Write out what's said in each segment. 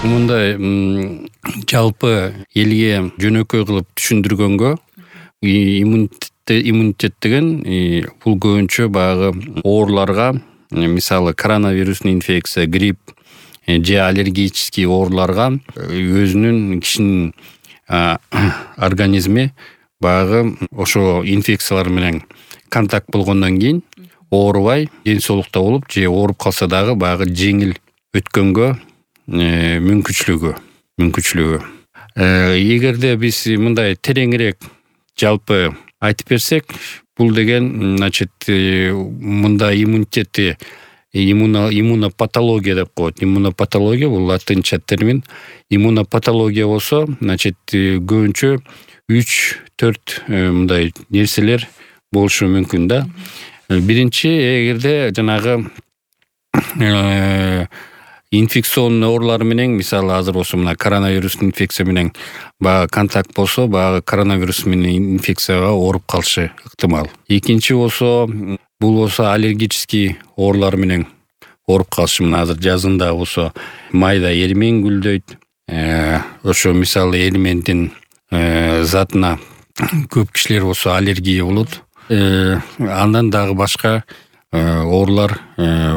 Мындай жалпы элге жөнөкөй кылып түшүндүргөнгө иммунитет деген бул көбүнчө баягы ооруларга, мисалы коронавирусный инфекция, грипп же аллергический ооруларга өзүнүн кишинин организми баягы ошо инфекциялар менен контакт болгондон кийин оорубай, ден соолукта болуп же ооруп калса дагы баягы жеңил өткөнгө мүмкүнчүлүгү. Эгерде биз мындай тереңирээк жалпы айтып берсек, бул деген мындай иммунитетти иммунопатология деп коет. Иммунопатология бул латынча термин. Иммунопатология болсо, көбүнчө 3-4 мындай нерселер болушу мүмкүн да. Биринчи, эгерде жанагы инфекционный оорулар менен, мисалы азыр болсо мына коронавирус инфекция менен баягы контакт болсо, баягы коронавирус менен инфекцияга ооруп калышы ыктымал. Экинчи болсо, бул болсо аллергический оорулар менен ооруп калышы. Мына азыр жазында болсо майда эримен гүлдөйт. Ошо мисалы эримендин затына көп кишилер болсо аллергия болот. Андан дагы башка оорулар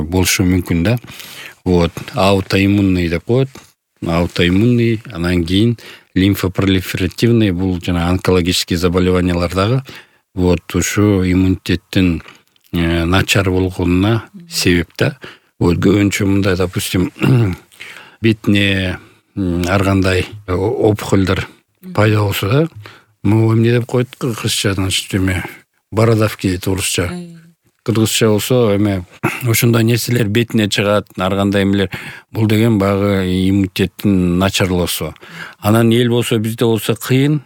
болушу мүмкүн да. Аутоиммунный деп коет. Аутоиммунный, анан кийин лимфопролиферативный, бул жана онкологический заболеваниялар дагы ушу иммунитеттин начар болгонуна себеп да. Көбүнчө мындай, допустим, бетине ар кандай опухолдор пайда болсо да, эмне деп коет кыргызча, бородавки дейт орусча. Кыргызча болсо ошондой нерселер бетине чыгат, ар кандай эмелер. Бул деген баягы иммунитеттин начарлоосу. Анан эл болсо, бизде болсо кыйын,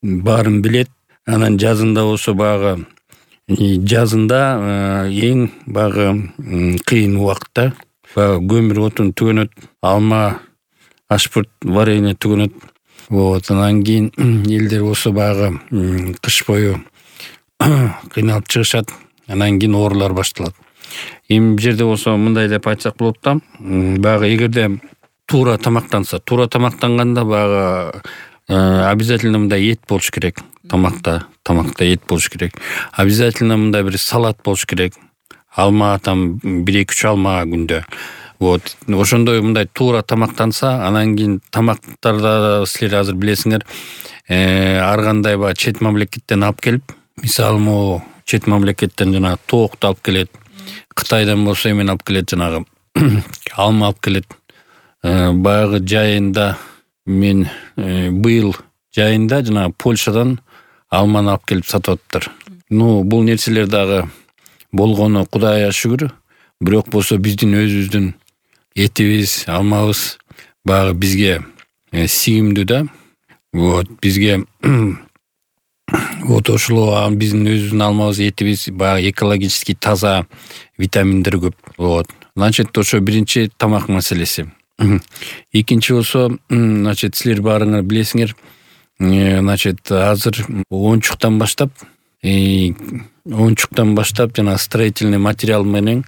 баарын билет. Анан жазында болсо баягы жазында эң баягы кыйын убакытта. Баягы көмүр отун түгөнөт, алма, ашпырт, варенье түгөнөт. Анан кийин элдер болсо баягы кыш бою кыйналып чыгышат. Анан кийин оорулар башталат. Эми бул жерде болсо мындай деп айтсак болот да, баягы эгерде туура тамактанганда баягы обязательно мындай эт болуш керек. Тамакта эт болуш керек. Обязательно мындай бир салат болуш керек. Алма, 1-2 алма күндө. Ошондой мындай туура тамактанса, анан кийин тамактарда силер азыр билесиңер, ар кандай баягы чет мамлекеттен алып келип, мисалы могу чет мамлекеттен жанагы тоокту алып келет. Кытайдан болсо эмени алып келет, жанагы алма алып келет. Баягы жайында мен быйыл жайында жанагы Польшадан алманы алып келип сатып атыптыр. Бул нерселер дагы болгону Кудайга шүгүр. Бирок болсо биздин өзүбүздүн этибиз, алмабыз баягы бизге сигимдүү да. Бизге ошол биздин өзүбүздүн алмабыз, этибиз баягы экологический таза, витаминдер көп. Значит, ошо биринчи тамак маселеси. Экинчи болсо, силер баарыңар билесиңер, азыр оюнчуктан баштап жана строительный материал менен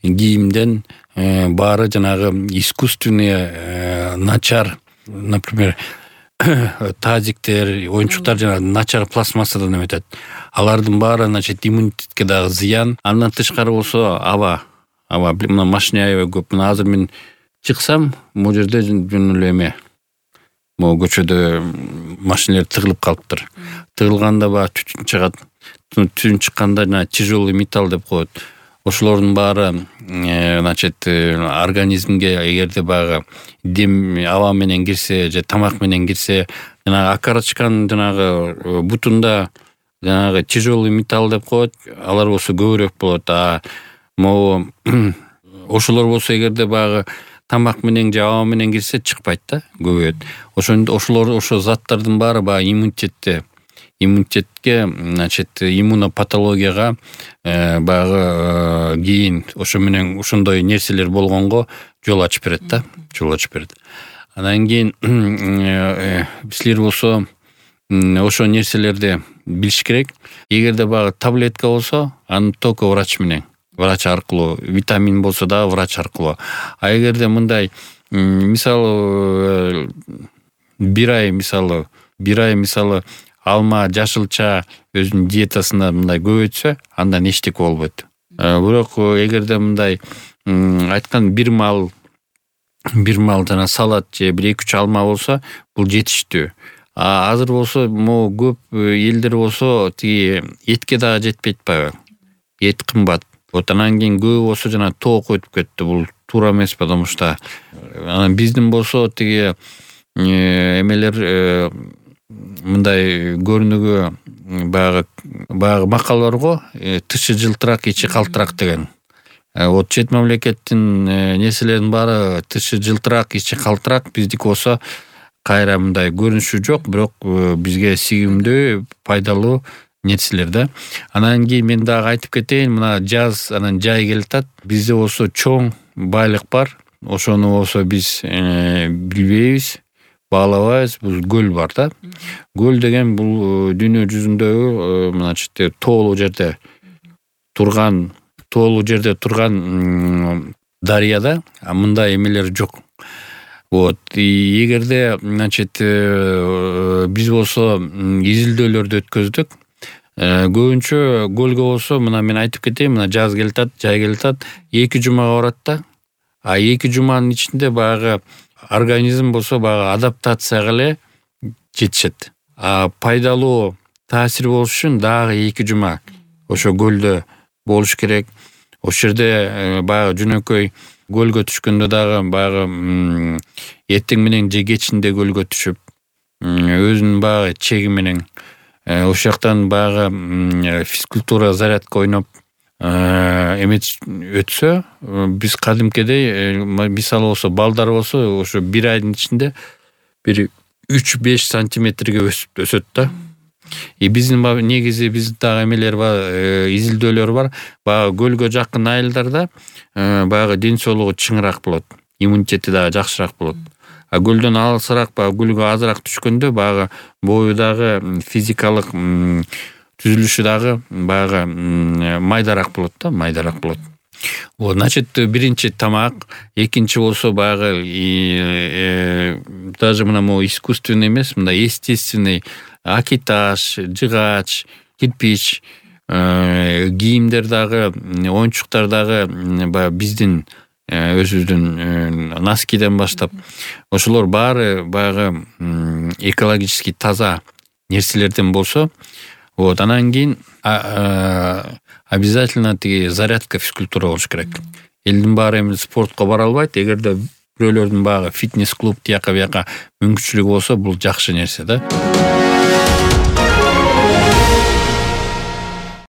кийимден баары жанагы искусственный начар, например, тазиктер, оюнчуктар жана начар пластмассадан эметет. Алардын баары иммунитетке дагы зыян. Андан тышкары болсо аба, мына машина аябай көп. Мына азыр мен чыксам, бул жерде жөн эле могу көчөдө машиналар тыгылып калыптыр. Тыгылганда баягы түтүн чыгат. Түтүн чыкканда жана тяжелый металл деп коет. Ошолордун баары организмге эгерде баягы дем аба менен кирсе же тамак менен кирсе, жанагы окорочканын жанагы бутунда жанагы тяжелый металл деп коет, алар болсо көбүрөөк болот. Могу ошолор болсо эгерде баягы тамак менен же аба менен кирсе чыкпайт да, көбөйөт. Ошо заттардын баары баягы иммунитетке, иммунопатологияга баягы кийин ошо менен ошондой нерселер болгонго жол ачып берет да, Анан кийин силер болсо ошо нерселерди билиш керек. Эгерде баягы таблетка болсо, аны только врач аркылуу, витамин болсо дагы врач аркылуу. А эгерде мындай мисалы бир ай мисалы алма, жашылча өзүнүн диетасында мындай көбөйтсө, андан эчтеке болбойт. Бирок эгерде мындай айткан бир мал жана салат же 1-2 алма болсо, бул жетиштүү. Азыр болсо могу көп элдер болсо тиги этке дагы жетпей атпайбы? Эт кымбат. Вот анан кийин көбү болсо жана тоок өтүп кетти. Бул туура эмес, потому что анан биздин болсо тиги эмелер мындай көрүнүгү баягы макал барго, тышы жылтырак, ичи калтырак деген. Вот чет мамлекеттин нерселеринин баары тышы жылтырак, ичи калтырак, биздики болсо кайра мындай көрүнүшү жок, бирок бизге сигимдүү, пайдалуу нерселер да. Анан кийин мен дагы айтып кетейин, мына жаз анан жай келатат. Бизде болсо чоң байлык бар. Ошону болсо биз билбейбиз, баалабайбыз. Бул көл бар да. Көл деген бул дүйнө жүзүндөгү мыначы тоолуу жерде турган дарыяда мындай эмелер жок. Вот, эгерде биз болсо изилдөөлөрдү өткөздүк. Көбүнчө көлгө болсо, мына мен айтып кетейин, мына жаз келатат, жай келатат, 2 жумага барат да. 2 жуманын ичинде баягы организм болсо баягы адаптацияга эле жетишет. Пайдалуу таасир болуш үчүн дагы 2 жума ошо көлдө болуш керек. Ошол жерде баягы жөнөкөй көлгө түшкөндө дагы баягы эртең менен же кечинде көлгө түшүп, өзүнүн баягы чеги менен ошол жактан баягы физкультура зарядка ойноп өтсө, биз кадимкидей мисалы болсо балдар болсо ошо 1 айдын ичинде бир 3-5 сантиметрге өсөт да. Биздин негизи дагы эмелер бар, изилдөөлөр бар. Баягы көлгө жакын айылдарда баягы ден соолугу чыңыраак болот, иммунитети дагы жакшыраак болот. Көлдөн алысыраак, баягы көлгө азыраак түшкөндө баягы бою дагы физикалык түзүлүшү дагы баягы майдараак болот да, майдараак болот. Вот, значит, биринчи тамак, экинчи болсо баягы даже мына могу искусственный эмес, мындай естественный акиташ, жыгач, кирпич, кийимдер дагы, оюнчуктар дагы баягы биздин өзүбүздүн носкиден баштап ошолор баары баягы экологически таза нерселерден болсо, вот анан кийин обязательно тиги зарядка, физкультура болуш керек. Элдин баары эми спортко бара албайт. Эгерде бирөөлөрдүн баягы фитнес клуб тияка бияка мүмкүнчүлүгү болсо, бул жакшы нерсе да.